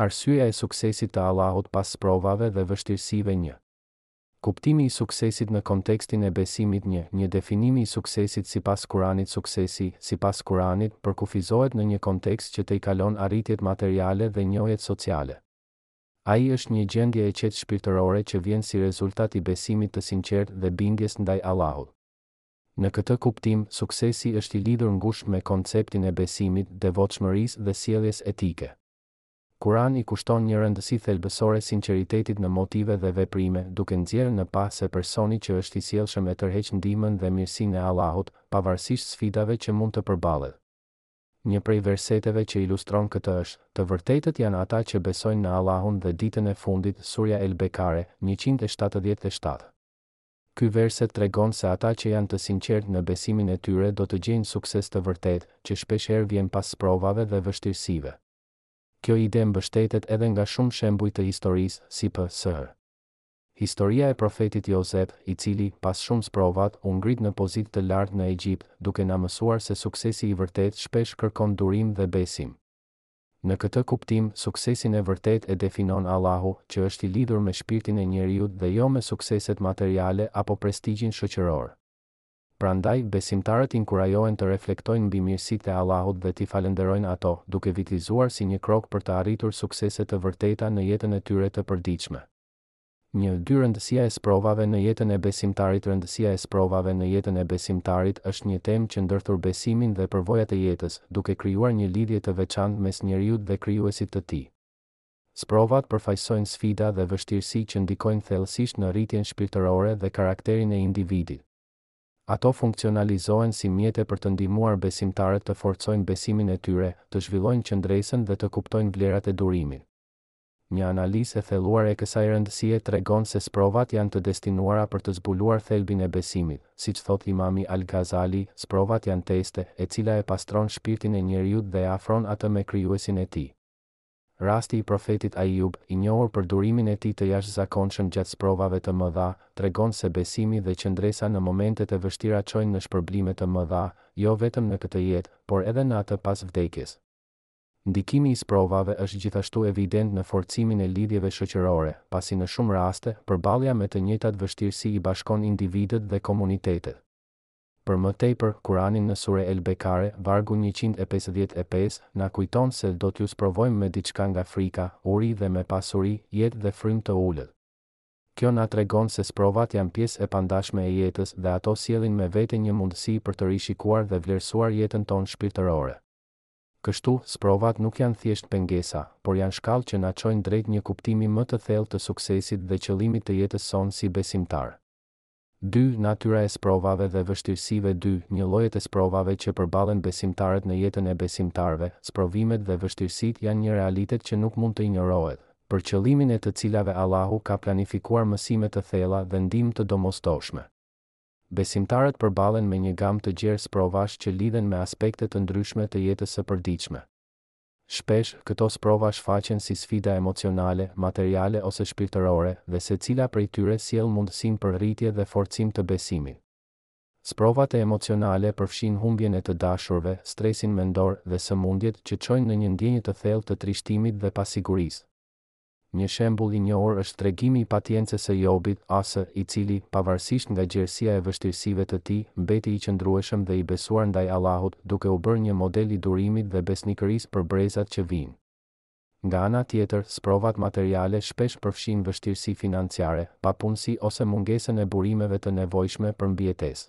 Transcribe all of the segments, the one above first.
Arsyeja e suksesit të Allahut pas sprovave dhe vështirësive 1. Kuptimi i suksesit në kontekstin e besimit 1. Një definimi i suksesit sipas Kuranit Suksesi, sipas Kuranit, përkufizohet në një kontekst që tejkalon arritjet materiale dhe njohjet sociale. Ai është një gjendje e qetë shpirtërore që vjen si rezultat i besimit të sinqertë dhe bindjes ndaj Allahut. Në këtë kuptim, suksesi është i lidhur ngushtë me konceptin e besimit, devotshmërisë dhe sjelljes etike. Kurani i kushton një rëndësi thelbësore sinqeritetit në motive dhe veprime, duke nxjerrë në pah se personi që është i sjellshëm e tërheq ndihmën dhe mirësinë e Allahut, pavarësisht sfidave që mund të përballet. Një prej verseteve që ilustron këtë është, Të vërtetët janë ata që besojnë në Allahun dhe Ditën e Fundit, Surja El-Bekare, 177. Ky verset tregon se ata që janë të sinqertë në besimin e tyre do të gjejnë sukses të vërtetë, që shpeshherë vjen pas sprovave dhe vështirësive. Kjo ide mbështetet edhe nga shumë shembuj të historisë, si p.sh. Historia e profetit Jozef, i cili, pas shumë sprovat, u ngrit në pozitë të lartë në Egjipt, duke na mësuar se suksesi i vërtetë shpesh kërkon durim dhe besim. Në këtë kuptim, suksesin e vërtetë e definon Allahu, që është i lidhur me shpirtin e njeriut dhe jo me sukseset materiale apo prestigjin shoqëror. Prandaj, besimtarët inkurajohen të reflektojnë mbi mirësitë e Allahut dhe t'i falënderojnë ato, duke vitlizuar si një krok për të arritur suksese të vërteta në jetën e tyre të përditshme. Një, dy Rëndësia e sprovave në jetën e besimtarit Rëndësia e sprovave në jetën e besimtarit është një temë që ndërthur besimin dhe përvojat e jetës, duke krijuar një lidhje të veçantë mes njeriut dhe Krijuesit të tij. Sprovat përfaqësojnë sfida dhe vështirësi që ndikojnë thellësisht në rritjen shpirtërore dhe karakterin e individit. Ato funksionalizohen si mjete për të ndihmuar besimtarët të forcojnë besimin e tyre, të zhvillojnë qëndresën dhe të kuptojnë vlerat e durimit. Një analizë e thelluar e kësaj rëndësie tregon se sprovat janë të destinuara për të zbuluar thelbin e besimit, siç thotë Imami Al-Ghazali, sprovat janë teste, e cila e pastron shpirtin e njeriut dhe e afron atë me Krijuesin e tij. Rasti i Profetit Aijub, i njohur për durimin e tij të jashtëzakonshëm gjatë sprovave të mëdha, tregon se besimi dhe qëndresa në momentet e vështira çojnë në shpërblime të mëdha, jo vetëm në këtë jetë, por edhe në atë pas vdekjes. Ndikimi i sprovave është gjithashtu evident në forcimin e lidhjeve shoqërore, pasi në shumë raste, përballja me të njëjtat vështirësi i bashkon individët dhe komunitetet. Për më tepër, Kurani në Sure El-Bekare, vargu 155, na kujton se do t'ju sprovojmë me diçka nga frika, uri dhe me pasuri, jetë dhe frymë të ulët. Kjo na tregon se sprovat janë pjesë e pandashme e jetës dhe ato sjellin me vete një mundësi për të rishikuar dhe vlerësuar jetën tonë shpirtërore. Kështu, sprovat nuk janë thjesht pengesa, por janë shkallë që na çojnë drejt një kuptimi më të thellë të suksesit dhe qëllimit të jetës sonë si besimtarë. Dy, Natyra e sprovave dhe vështirësive Dy, Një Llojet e sprovave që përballen besimtarët në jetën e besimtarëve, sprovimet dhe vështirësitë janë një realitet që nuk mund të injorohet, për qëllimin e të cilave Allahu ka planifikuar mësime të thella dhe ndihmë të domosdoshme. Besimtarët përballen me një gamë të gjerë sprovash që lidhen me aspekte të ndryshme të jetës së përditshme. Shpesh, këto sprova shfaqen si sfida emocionale, materiale ose shpirtërore, dhe secila prej tyre sjell mundësinë për rritje dhe forcim të besimit. Sprovat e emocionale përfshijnë humbjen e të dashurve, stresin mendor dhe sëmundjet që çojnë në një ndjenjë të thellë të trishtimit dhe pasigurisë. Një shembull i njohur është tregimi i patiencës së Jobit, A.S., i cili, pavarësisht nga gjerësia e vështirësive të tij, mbeti i qëndrueshëm dhe i besuar ndaj Allahut, duke u bërë një model i durimit dhe besnikërisë për brezat që vijnë. Nga ana tjetër, sprovat materiale shpesh përfshijnë vështirësi financiare, papunësi ose mungesën e burimeve të nevojshme për mbijetesë.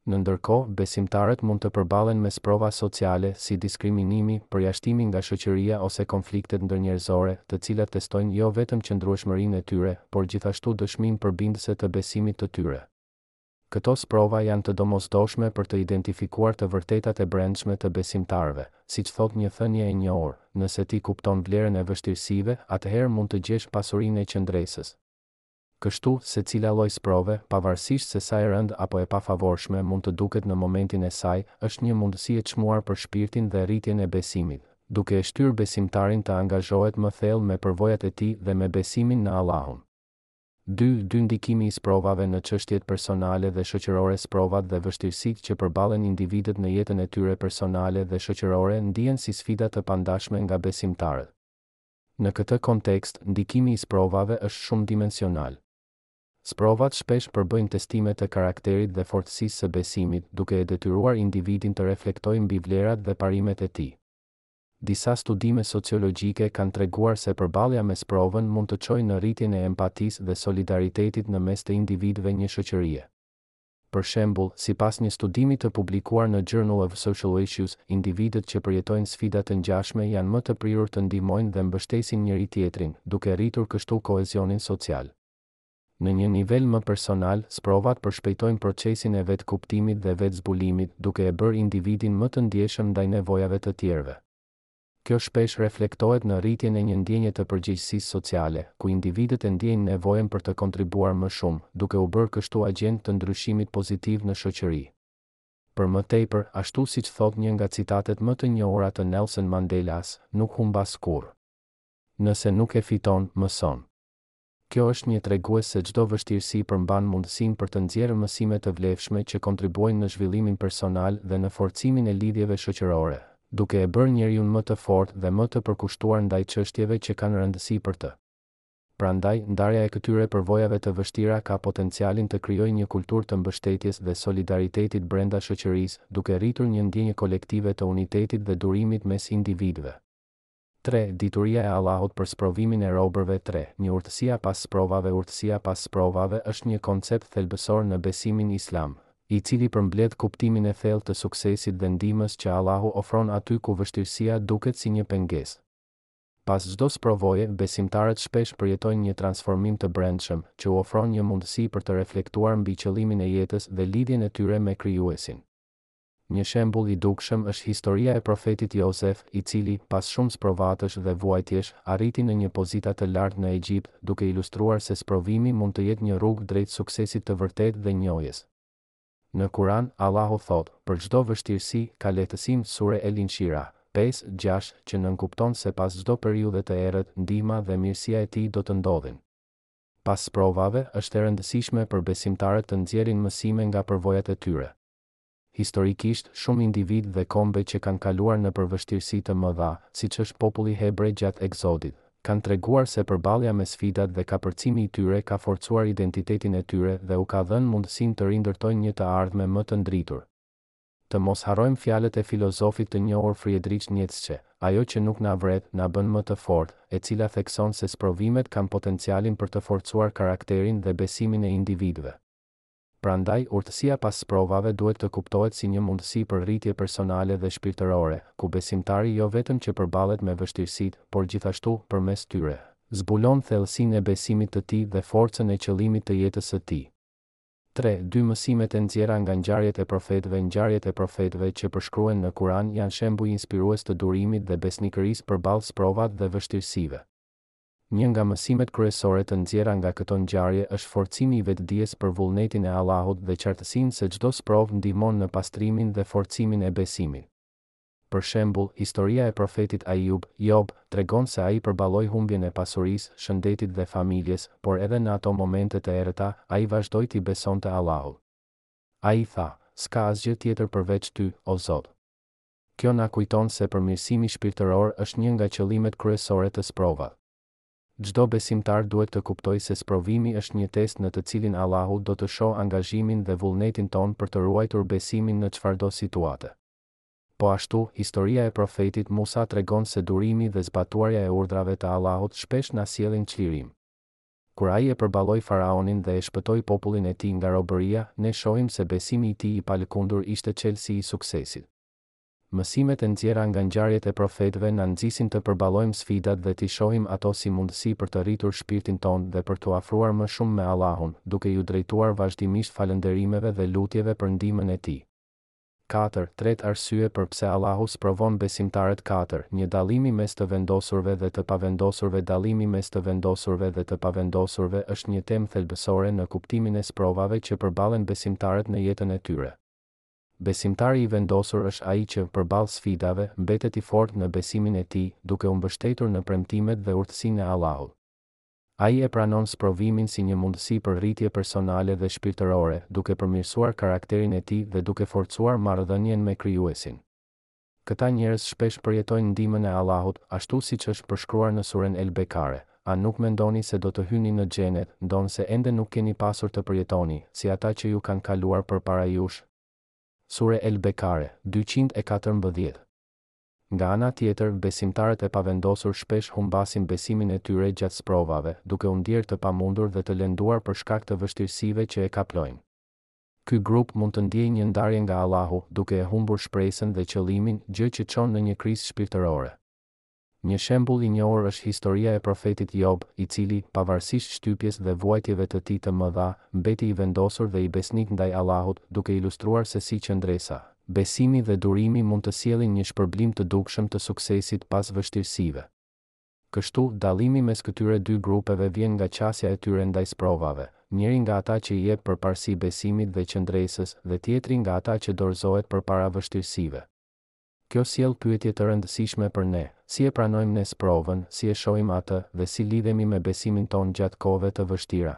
Në ndërkohë, besimtarët mund të përballen me sprova sociale, si diskriminimi, përjashtimi nga shoqëria ose konfliktet ndërnjerëzore, të cilat testojnë jo vetëm qëndrueshmërinë e tyre, por gjithashtu dëshminë përbindëse të besimit të tyre. Këto sprova janë të domosdoshme për të identifikuar të vërtetat e brendshme të besimtarëve, siç thotë një thënie e njohur, Nëse ti kupton vlerën e vështirësive, atëherë mund të gjesh pasurinë e qëndresës. Kështu, secila lloj sprove, pavarësisht se sa e rëndë apo e pafavorshme mund të duket në momentin e saj, është një mundësi e çmuar për shpirtin dhe rritjen e besimit, duke e shtyrë besimtarin të angazhohet më thellë me përvojat e tij dhe me besimin në Allahun. Dy, dy Ndikimi i sprovave në çështjet personale dhe shoqërore Sprovat dhe vështirësitë që përballen individët në jetën e tyre personale dhe shoqërore ndihen si sfida të pandashme nga besimtarët. Në këtë kontekst, ndikimi i sprovave është shumëdimensional. Sprovat shpesh përbëjnë testime të karakterit dhe fortësisë së besimit, duke e detyruar individin të reflektojë mbi vlerat dhe parimet e tij. Disa studime sociologjike kanë treguar se përballja me sprovën mund të çojë në rritjen e empatisë dhe solidaritetit në mes të individëve një shoqërie. Për shembull, sipas një studimi të publikuar në Journal of Social Issues, individët që përjetojnë sfida të ngjashme janë më të prirur të ndihmojnë dhe mbështesin njëri-tjetrin, duke rritur kështu kohezionin social. Në një nivel më personal, sprovat përshpejtojnë procesin e vetëkuptimit dhe vetëzbulimit, duke e bërë individin më të ndjeshëm ndaj nevojave të tjerëve. Kjo shpesh reflektohet në rritjen e një ndjenje të përgjegjësisë sociale, ku individët e ndjejnë nevojën për të kontribuar më shumë, duke u bërë kështu agjentë të ndryshimit pozitiv në shoqëri. Për më tepër, ashtu siç thotë një nga citatet më të njohura të Nelson Mandelas, Nuk humbas kurrë. Nëse nuk e fiton, mëson. Kjo është një tregues se çdo vështirësi përmban mundësinë për të nxjerrë mësime të vlefshme që kontribuojnë në zhvillimin personal dhe në forcimin e lidhjeve shoqërore, duke e bërë njeriun më të fortë dhe më të përkushtuar ndaj çështjeve që kanë rëndësi për të. Prandaj, ndarja e këtyre përvojave të vështira ka potencialin të krijojë një kulturë të mbështetjes dhe solidaritetit brenda shoqërisë, duke rritur një ndjenjë kolektive të unitetit dhe durimit mes individëve. 3, Dituria e Allahut për sprovimin e robërve 3, Një urtësia pas sprovave Urtësia pas sprovave është një koncept thelbësor në besimin islam, i cili përmbledh kuptimin e thellë të suksesit dhe ndihmës që Allahu ofron aty ku vështirësia duket si një pengesë. Pas çdo sprovoje, besimtarët shpesh përjetojnë një transformim të brendshëm, që u ofron një mundësi për të reflektuar mbi qëllimin e jetës dhe lidhjen e tyre me Krijuesin. Një shembull i dukshëm është historia e profetit Jozef, i cili, pas shumë sprovatësh dhe vuajtjesh, arriti në një pozita të lartë në Egjipt, duke ilustruar se sprovimi mund të jetë një rrugë drejt suksesit të vërtetë dhe njohjes. Në Kuran, Allahu thotë, Për çdo vështirësi, ka lehtësim Sure El-Inshirah, 5, 6, që nënkupton se pas çdo periudhe të errët, ndihma dhe mirësia e Tij do të ndodhin. Pas sprovave, është e rëndësishme për besimtarët të nxjerrin mësime nga përvojat e tyre. Historikisht, shumë individë dhe kombe që kanë kaluar nëpër vështirësi të mëdha, siç është populli hebre gjatë Ekzodit, kanë treguar se përballja me sfidat dhe kapërcimi i tyre ka forcuar identitetin e tyre dhe u ka dhënë mundësinë të rindërtojnë një të ardhme më të ndritur. Të mos harrojmë fjalët e filozofit të njohur Friedrich Nietzsche, Ajo që nuk na vret, na bën më të fortë, e cila thekson se sprovimet kanë potencialin për të forcuar karakterin dhe besimin e individëve. Prandaj, urtësia pas sprovave duhet të kuptohet si një mundësi për rritje personale dhe shpirtërore, ku besimtari jo vetëm që përballet me vështirësitë, por gjithashtu, përmes tyre, zbulon thellësinë e besimit të tij dhe forcën e qëllimit të jetës së tij. 3, 2 Mësimet e nxjerra nga ngjarjet e profetëve Ngjarjet e profetëve që përshkruhen në Kur'an janë shembuj inspirues të durimit dhe besnikërisë përballë sprovat dhe vështirësive. Një nga mësimet kryesore të nxjerra nga këto ngjarje është forcimi i vetëdijes për vullnetin e Allahut dhe qartësinë se çdo sprovë ndihmon në pastrimin dhe forcimin e besimit. Për shembull, historia e profetit Ajub, Job, tregon se ai përballoi humbjen e pasurisë, shëndetit dhe familjes, por edhe në ato momente të errëta, ai vazhdoi t'i besonte Allahut. Ai tha, S'ka asgjë tjetër përveç Ty, o Zot. Kjo na kujton se përmirësimi shpirtëror është një nga qëllimet kryesore të sprovat. Çdo besimtar duhet të kuptojë se sprovimi është një test në të cilin Allahu do të shohë angazhimin dhe vullnetin tonë për të ruajtur besimin në çfarëdo situate. Po ashtu, historia e profetit Musa tregon se durimi dhe zbatuarja e urdhrave të Allahut shpesh na sjellin çlirim. Kur ai e përballoi faraonin dhe e shpëtoi popullin e tij nga robëria, ne shohim se besimi i tij i palëkundur ishte çelësi i suksesit. Mësimet e nxjerra nga ngjarjet e profetëve na nxisin të përballojmë sfidat dhe t'i shohim ato si mundësi për të rritur shpirtin tonë dhe për t'u afruar më shumë me Allahun, duke iu drejtuar vazhdimisht falënderimeve dhe lutjeve për ndihmën e Tij. 4, Tretë arsye për pse Allahu sprovon besimtarët 4, Një dallimi mes të vendosurve dhe të pavendosurve Dallimi mes të vendosurve dhe të pavendosurve është një temë thelbësore në kuptimin e sprovave që përballen besimtarët në jetën e tyre. Besimtari i vendosur është ai që, përballë sfidave, mbetet i fortë në besimin e tij, duke u mbështetur në premtimet dhe urtësinë e Allahut. Ai e pranon sprovimin si një mundësi për rritje personale dhe shpirtërore, duke përmirësuar karakterin e tij dhe duke forcuar marrëdhënien me Krijuesin. Këta njerëz shpesh përjetojnë ndihmën e Allahut, ashtu siç është përshkruar në Suren El-Bekare, A nuk mendoni se do të hyni në Xhenet, ndonëse ende nuk keni pasur të përjetoni, si ata që ju kanë kaluar përpara jush? Sure El-Bekare, 214. Nga ana tjetër, besimtarët e pavendosur shpesh humbasin besimin e tyre gjatë sprovave, duke u ndjerë të pamundur dhe të lenduar për shkak të vështirësive që e kaplojnë. Ky grup mund të ndjejë një ndarje nga Allahu, duke e humbur shpresën dhe qëllimin, gjë që çon në një krizë shpirtërore. Një shembull i njohur është historia e profetit Job, i cili, pavarësisht shtypjes dhe vuajtjeve të tij të mëdha, mbeti i vendosur dhe i besnik ndaj Allahut, duke ilustruar se si qëndresa, besimi dhe durimi mund të sjellin një shpërblim të dukshëm të suksesit pas vështirësive. Kështu, dallimi mes këtyre dy grupeve vjen nga qasja e tyre ndaj sprovave, njëri nga ata që i jep përparësi besimit dhe qëndresës dhe tjetri nga ata që dorëzohet përpara vështirësive. Kjo sjell pyetje të rëndësishme për ne, si e pranojmë ne sprovën, si e shohim atë, dhe si lidhemi me besimin tonë gjatë kohëve të vështira?